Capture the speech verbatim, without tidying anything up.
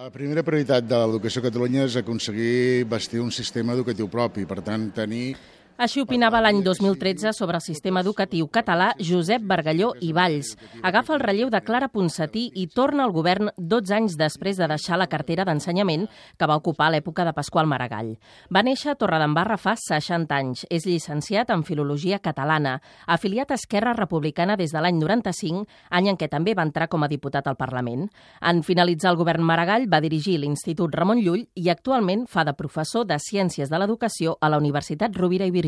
La primera prioritat de l'educació a Catalunya és aconseguir bastir un sistema educatiu propi, per tant, tenir... Així opinava l'any dos mil tretze sobre el sistema educatiu català Josep Bargalló i Valls. Agafa el relleu de Clara Ponsatí i torna al govern dotze anys després de deixar la cartera d'ensenyament que va ocupar a l'època de Pasqual Maragall. Va néixer a Torredembarra fa seixanta anys. És llicenciat en Filologia Catalana, afiliat a Esquerra Republicana des de l'any noranta-cinc, any en què també va entrar com a diputat al Parlament. En finalitzar el govern Maragall va dirigir l'Institut Ramon Llull i actualment fa de professor de Ciències de l'Educació a la Universitat Rovira i Virgili.